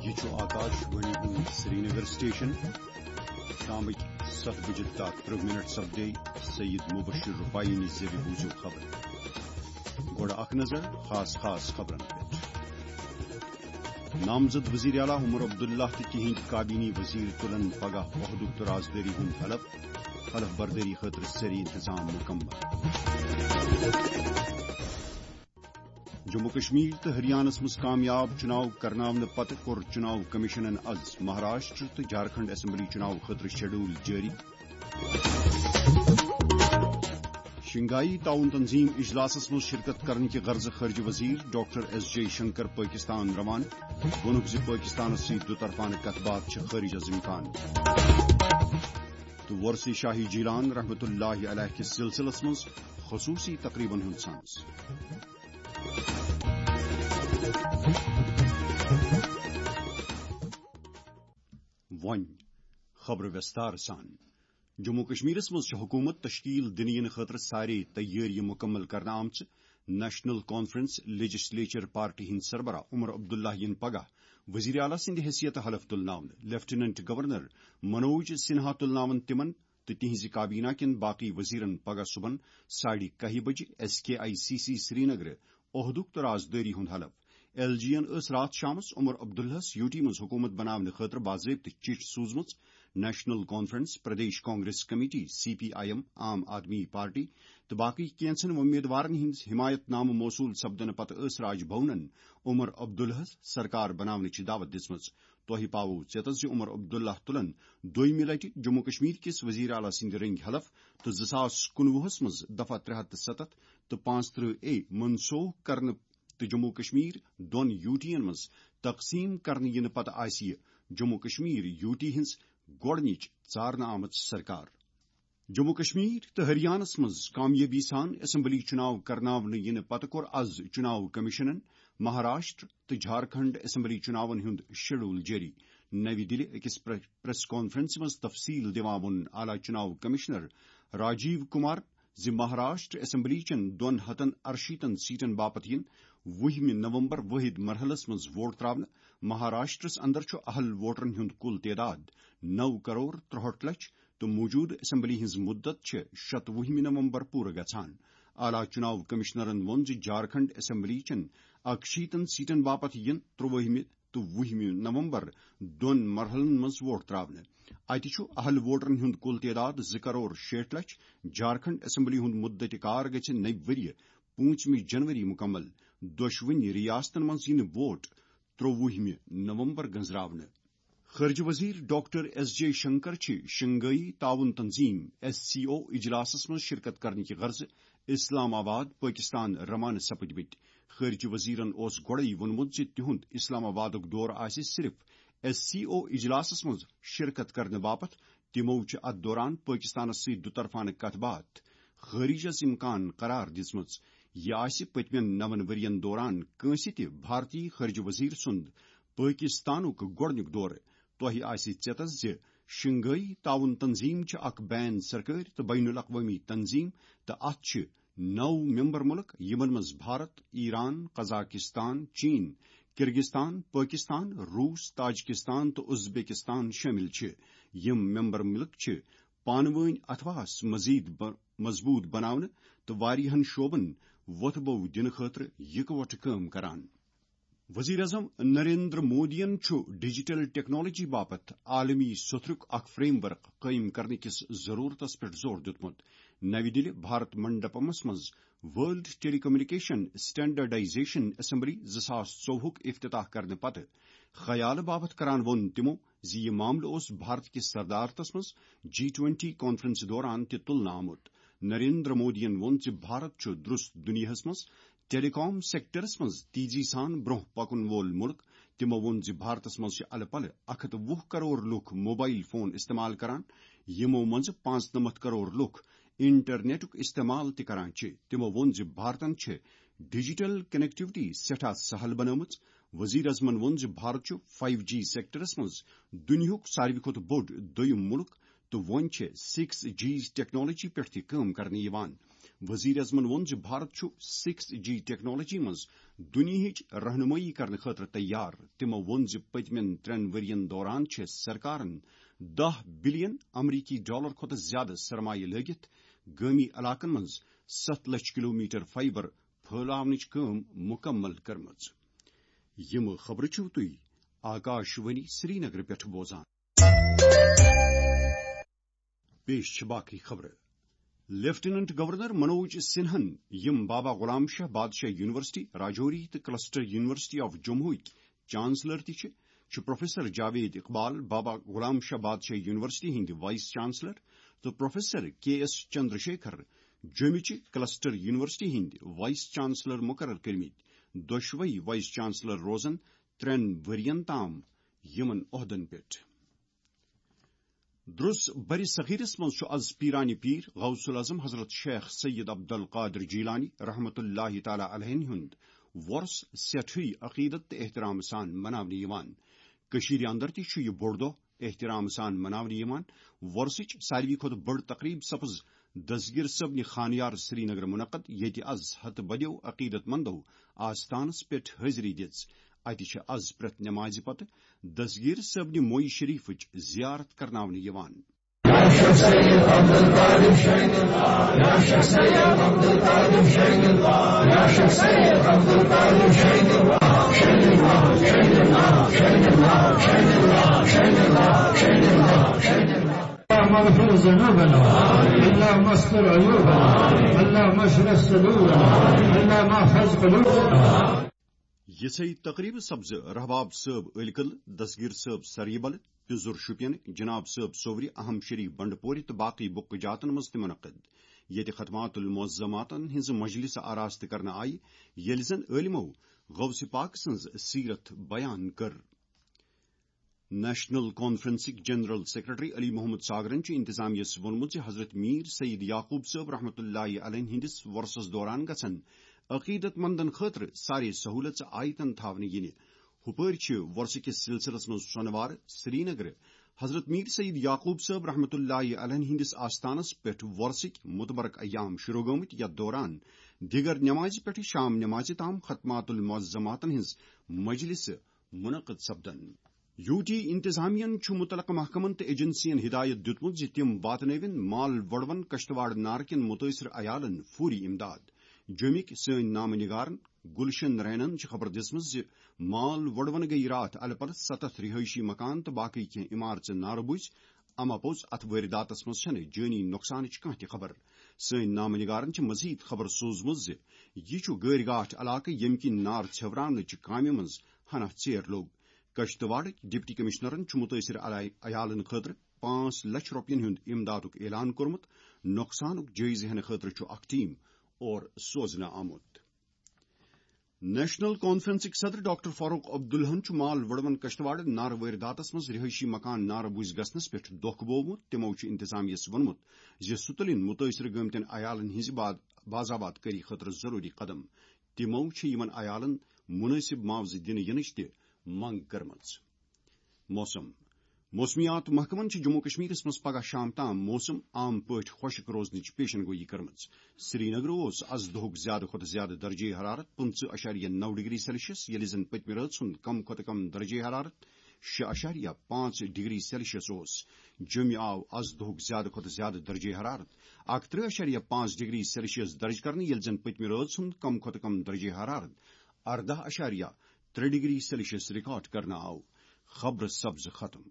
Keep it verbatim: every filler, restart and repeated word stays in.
یہِ چھُ آکاش وانی ہُنٛد سرینگر سٹیشن۔ شامٕکۍ ستھ بجہِ تہٕ ترٕہ منٹ سپدے۔ سید مبشر رفاعی نِش زیوِ بوٗزِو خبر۔ گۄڈٕ اکھ نظر خاص خاص خبرن پٮ۪ٹھ۔ نامزد وزیر اعلیٰ عمر عبداللہ تہٕ تِہنٛدۍ کابینی وزیر تُلن پگاہ عہدُک تہٕ رازدٲری ہُنٛد حلف۔ حلف بردٲری خٲطرٕ سٲری انتظام مکمل۔ جموں کشمیر تہٕ ہریانس منٛز کامیاب چُناو کرناونہٕ پتہٕ کوٚر چُناو کمیشنن از مہاراشٹر تہٕ جھارکھنڈ اسمبلی چُناو خٲطرٕ شیڈول جٲری۔ شنگھائی تعاون تنظیم اجلاسس منٛز شرکت کرنہٕ کہِ غرضہٕ خارجہ وزیر doctor S Jaishankar Pakistan روانہٕ۔ ووٚنُکھ زِ پٲکستانس سۭتۍ دُطرفانہٕ کتھ باتھ چھِ خٲرج از امکان۔ تہٕ وۄرثے شاہی جیلان رحمتہ اللہ علیہ کِس سلسلس منٛز خصوصی تقریبن ہُنٛد سانس۔ وۄنۍ خبرٕ وستار سان۔ جموں کشمیرس منٛز چھِ حکوٗمت تشکیل دِنہٕ یِنہٕ خٲطرٕ سارے تیٲری مُکمل کرنہٕ آمژٕ۔ نیشنل کانفرنس لیجسلیچر پارٹی ہٕنٛدۍ سربراہ عمر عبداللہ یِن پگاہ وزیر اعلیٰ سٕنٛدِ حیثیتہٕ حلف تُلناونہٕ۔ لیفٹیننٹ گورنر منوج سنہا تُلناون تِمن تہٕ تِہنٛزِ کابینہ کٮ۪ن باقٕے وزیرن پگاہ صبحن ساڑِ کاہہِ بجہِ S K I C C سرینگرٕ عہدُک تہٕ رازدٲری ہُنٛد حلف۔ ایل جی ین ٲس راتھ شامس عمر عبداللہس یوٗ ٹی منٛز حکوٗمت بناونہٕ خٲطرٕ باضٲبطہٕ چِٹھۍ سوٗزمٕژ۔ National conference, Pradesh Congress committee, C P I M, Aam Aadmi party تہٕ باقٕے کینٛژن وۄمیدوارن ہٕنٛدۍ حمایت نامہٕ موصوٗل سپدنہٕ پتہٕ ٲس راج بھونن عمر عبداللہس سرکار بناونٕچ دعوت دِژمٕژ۔ تۄہہِ پاوو ژیتس زِ عمر عبداللہ تُلن دوٚیمہِ لٹہِ جموں کشمیر کِس وزیر اعلیٰ سٕنٛدِ رٔنگۍ حلف تہٕ زٕ ساس کُنوُہس منٛز دفعہ ترٛےٚ ہتھ تہٕ ستتھ تہٕ پانٛژترٕہ اے منسوخ کرنہٕ تہٕ جموں کشمیر دۄن یوٗ ٹی ین منٛز تقسیٖم کرنہٕ یِنہٕ پتہٕ آسہِ یہِ جموں کشمیر یوٗ ٹی ہٕنٛز گۄڈٕنِچ ژارنہٕ آمٕژ سرکار۔ جموں کشمیر تہٕ ہریانس منٛز کامیٲبی سان اسمبلی چُناو کرناونہٕ یِنہٕ پتہٕ کوٚر از چُناو کمیشنن مہاراشٹر تہٕ جھارکھنڈ اسمبلی چُناون ہُنٛد شیڈول جٲری۔ نَوِ دِلہِ أکِس پرے-، پریس کانفرنسہِ منٛز تفصیٖل دِوان ووٚن اعلیٰ چُناو کمشنر راجیو کمار زِ مہاراشٹر اسمبلی چٮ۪ن دۄن ہتن ارشیٖتن سیٹن باپتھ یِن وُہمہِ نومبر وٲحد مرحلس منٛز ووٹ تراونہٕ۔ مہاراشٹرس اندر چھُ اہل ووٹرن ہُنٛد کُل تعداد نو کرور ترٛہٲٹھ لچھ تہٕ موجودٕ اسمبلی ہٕنٛز مدت چھِ شتوُہمہِ نومبر پوٗرٕ گژھان۔ اعلیٰ چُناو کمشنرن ووٚن زِ جھارکھنڈ اسمبلی چٮ۪ن اکشیٖتن سیٹن باپتھ یِن ترٛوٲہمہِ تہٕ وُہمہِ نومبر دۄن مرحلن منٛز ووٹ تراونہٕ۔ اتہِ چھُ اہل ووٹرن ہُنٛد کُل تعداد زٕ کرور شیٹھ لچھ۔ جھارکھنڈ اسمبلی ہُنٛد مدت کار گژھِ نَوِ ؤریہِ پوٗنٛژمہِ جنوری مُکمل۔ دۄشوٕنی ریاستن منٛز یِنہٕ ووٹ ترٛووُہمہِ نومبر گنزراونہٕ۔ خارجہ وزیر ڈاکٹر ایس جے شنکر چھِ شنگھائی تعاون تنظیم، ایس سی او، اجلاسس منٛز شرکت کرنہٕ کہِ غرضہٕ اسلام آباد، پٲکستان روانہٕ سپٕدمٕتۍ۔ خارجہ وزیرن اوس گۄڈَے ووٚنمُت زِ تِہُنٛد اسلام آبادُک دورٕ آسہِ صرف ایس سی او اجلاسس منٛز شرکت کرنہٕ باپتھ۔ تِمو چھِ اتھ دوران پٲکستانس سۭتۍ دُطرفانہٕ کتھ باتھ خٲرج از امکان قرار دِژمٕژ۔ یہِ آسہِ پٔتمٮ۪ن نَوَن ؤرین دوران کٲنٛسہِ تہِ بھارتی خارجہ وزیر سُنٛد پٲکستانُک گۄڈٕنیُک دورٕ۔ تۄہہِ آسہِ ژیتس زِ شنگھائی تعاون تنظیم چھِ اکھ بین سرکٲرۍ تہٕ بین الاقوٲمی تنظیم تہٕ اتھ چھِ نو ممبر مُلک، یِمن منٛز بھارت، ایران، قزاقستان، چین، کرغستان، پٲکستان، روس، تاجکستان تہٕ ازبیکستان شٲمِل چھِ۔ یِم ممبر مُلک چھِ پانہٕ وٲنۍ اتھواس مزید ب-، مضبوط بناونہٕ تہٕ واریاہن شعبن وۄتھٕ بو دِنہٕ خٲطرٕ یکوٹہٕ کٲم کران۔ وزیر اعظم نریندر مودیَن چھُ ڈیجیٹل ٹیکنالوجی باپتھ عالمی سوٚتھرُک اکھ فریم ورک قٲیِم کرنہٕ کِس ضرورتس پٮ۪ٹھ زور دیُتمُت۔ نَوِ دِلہِ بھارت منڈپمس منٛز ورلڈ ٹیلی کمیونیکیشن اسٹینڈرڈائزیشن اسمبلی زٕ ساس ژوٚوُہُک افتتاح کرنہٕ پتہٕ خیالہٕ باپتھ کران ووٚن تِمو زِ یہِ معاملہٕ اوس بھارت کِس صدارتس منٛز جی ٹوینٹی کانفرنس دوران تہِ تُلنہٕ آمُت۔ نریندر مودیَن ووٚن زِ بھارت چھُ درست دُنیاہَس منٛز ٹیلی کام سیکٹرس منٛز تیزی سان برونٛہہ پکن وول مُلک۔ تِمو ووٚن زِ بھارتس منٛز چھِ الہٕ پلہٕ اکھ ہتھ وُہ کرور لوٗکھ موبائل فون استعمال کران، یِمو منٛز پانٛژنمتھ کرور لوٗکھ انٹرنیٹُک استعمال تہِ کران چھِ۔ تِمو ووٚن زِ بھارتن چھِ ڈیجیٹل کنیکٹیوٹی سٮ۪ٹھاہ سہل بنٲومٕژ۔ وزیر اعظمن ووٚن زِ بھارت چھُ فایو جی سیکٹرس منٛز دُنیاہُک ساروی کھۄتہٕ بوٚڑ دوٚیُم مُلک تہٕ وۄنۍ چھِ سکس جی ٹیکنالوجی پٮ۪ٹھ تہِ کٲم کرنہٕ یِوان۔ وزیر اعظمن ووٚن زِ بھارت چھُ سکس جی ٹیکنالوجی منٛز دُنیاہٕچ رہنمٲیی کرنہٕ خٲطرٕ تیار۔ تِمو ووٚن زِ پٔتمٮ۪ن ترٛٮ۪ن ؤرۍ یَن دوران چھِ سرکارن دَہ بلین امریکی ڈالر کھۄتہٕ زیادٕ سرمایہِ لٲگِتھ گٲمی علاقن منٛز ستھ لچھ کلومیٹر فائبر پھٲلاونٕچ کٲم مُکمل کٔرمٕژ۔ یِم خبرٕ چھِو تُہۍ آکاش وانی سرینگر پٮ۪ٹھ بوزان۔ پیش چھِ باقٕے خبرٕ۔ لیفٹیننٹ گورنر منوج سنہن، یِم بابا غلام شاہ بادشاہ یونیورسٹی راجوری تہٕ کلسٹر یونیورسٹی آف جموں ہٕکۍ چانسلر تہِ چھِ، چھُ پروفیسر جاوید اقبال، بابا غلام شاہ بادشاہ یونیورسٹی ہٕنٛدۍ وائس چانسلر، تہٕ پروفیسر کے ایس چندرشیکھر، جوٚمہِ چہِ کلسٹر یونیورسٹی ہٕنٛدۍ وائس چانسلر مقرر کٔرمٕتۍ۔ دۄشوے وائس چانسلر روزن ترٛٮ۪ن ؤرین تام یِمن عہدن پٮ۪ٹھ۔ درس بر صغیرس منٛز چھُ از پیرانِ پیر غوث الاعظم حضرت شیخ سید عبد القادر جیلانی رحمت اللہ تعالیٰ علیہ ہُنٛد وۄرس سٮ۪ٹھٕے عقیدت تہٕ احترام سان مناونہٕ یِوان۔ کٔشیٖرِ اندر تہِ چھُ یہِ بوٚڑ دۄہ احترام سان مناونہٕ یِوان۔ وۄرسٕچ ساروی کھۄتہٕ بٔڑ تقریب سپٕز دستگیر صٲبنہِ خانیار سرینگر منعقد، ییٚتہِ از ہتہٕ بدیو عقیدت مندو آستانس پٮ۪ٹھ حٲضری دِژ۔ اتہِ چھِ از پرٛٮ۪تھ نمازِ پتہٕ دستگیر صٲبنہِ مویہِ شریفٕچ زیارت کرناونہٕ یِوان۔ اللهم اغفر ذنوبنا، اللهم استر عيوبنا، اللهم اشرح صدورنا، اللهم احفظ قلوبنا۔ یِژھے تقریبہٕ سپزٕ رحباب صٲب ٲلۍ کدلہٕ، دستگیر صٲب سریبل، پِزُر شُپین، جناب صٲب صوورِ، اہم شریف بنڈپورِ تہٕ باقٕے بُکہٕ جاتن منٛز تہِ منعقد، ییٚتہِ ختمات المعظماتن ہٕنٛز مجلس آراستہٕ کرنہٕ آیہِ، ییٚلہِ زن عٲلمو غوث پاک سٕنٛز سیرت بیان کٔر۔ نیشنل کانفرنسٕکۍ جنرل سیکرٹری علی محمد ساگرن چھُ انتظامیہ یَس ووٚنمُت زِ حضرت میر سید یعقوب صٲب رحمت اللہ علیہ ہٕنٛدِس وۄرسَس دوران گژھن عقیدت مندن خٲطرٕ سارے سہولژٕ آیتن تھاونہٕ یِنہِ۔ ہُپٲرۍ چھِ وۄرسہٕ کِس سلسلس منٛز سۄنہٕ وارٕ سرینگرٕ حضرت میر سید یعقوب صٲب رحمت اللہ علیہ ہٕنٛدِس آستانس پٮ۪ٹھ وۄرسٕکۍ متبرک ایام شروع گٲمٕتۍ، یتھ دوران دیگر نمازِ پٮ۪ٹھٕ شام نمازِ تام ختمات المعظماتن ہٕنٛز مجلسہٕ منعقد سپدن۔ یو ٹی انتظامیہ ہن چھُ متعلقہٕ محکمن تہٕ ایجنسین ہدایت دیُتمُت زِ تِم واتنٲوِن مال وۄڑوَن کشتواڑ نارٕ کٮ۪ن مُتٲثر عیالن فوری امداد۔ جوٚمِکۍ سٲنۍ نامہٕ نگارن گلشن رینن چھِ خبر دِژمٕژ زِ مال وۄڑوَن گٔیہِ راتھ الہٕ پلہٕ ستتھ رہٲیشی مکان تہٕ باقٕے کینٛہہ عمارژٕ نارٕ بُجۍ۔ اما پوٚز، اتھ وٲرِداتس منٛز چھنہٕ جٲنی نۄقصانٕچ کانٛہہ تہِ خبر۔ سٲنۍ نامہٕ نگارن چھِ مزید خبر سوٗزمٕژ زِ یہِ چھُ گٲرۍ گاٹھ علاقہٕ، ییٚمہِ کِنۍ نار ژھیوراونٕچہِ کامہِ منٛز ہنا ژیر لوٚگ۔ کشتواڑٕکۍ ڈپٹی کمشنرن چھُ مُتٲثر علا-، عیالن خٲطرٕ پانٛژھ لچھ رۄپین ہُنٛد امدادُک اعلان کوٚرمُت۔ نۄقصانُک جٲیزٕ ہینہٕ خٲطرٕ چھُ اکھ ٹیم اور سوزنہٕ آمُت۔ نیشنل کانفرنسٕکۍ صدر ڈاکٹر فاروق عبداللہن چھُ مال وۄڑوَن کشتواڑ نارٕ وٲرِداتس منٛز رہٲیشی مکان نارٕ بُجۍ گژھنس پٮ۪ٹھ دۄکھ بوومُت۔ تِمو چھُ انتظامیہ یَس ووٚنمُت زِ سُہ تُلِن مُتٲثر گٲمتٮ۪ن عیالن ہٕنٛزِ با-، باضابطہ کٲری خٲطرٕ ضروٗری قدم۔ تِمو چھِ یِمن عیالن مُنٲسِب معاوضہٕ دِنہٕ یِنٕچ تہِ منٛگ کٔرمٕژ۔ موسم۔ موسمیات محکمن چھِ جموں کشمیرس منٛز پگاہ شام تام موسم عام پٲٹھۍ خۄشک روزنٕچ پیشن گویی کٔرمٕژ۔ سرینگرٕ اوس از دۄہُک زیادٕ کھۄتہٕ زیادٕ درجہ حرارت پٕنٛژٕہ اعشاریہ نَو ڈگری سیلسیس، ییٚلہِ زن پٔتمہِ رٲژ ہُنٛد کم کھۄتہٕ کم درجہ حرارت شےٚ اعشاریہ پانٛژھ ڈگری سیلسیس اوس۔ جوٚمہِ آو از دۄہُک زیادٕ کھۄتہٕ زیادٕ درجہ حرارت اکترٕہ اعشاریہ پانٛژھ ڈگری سیلسیس درج کرنہٕ، ییٚلہِ زن پٔتمہِ رٲژ ہُنٛد کم کھۄتہٕ کم درجہ حرارت ارداہ اعشاریہ ترٛےٚ ڈگری سیلسیس ریکارڈ کرنہٕ آو۔ خبرٕ سپزٕ ختم۔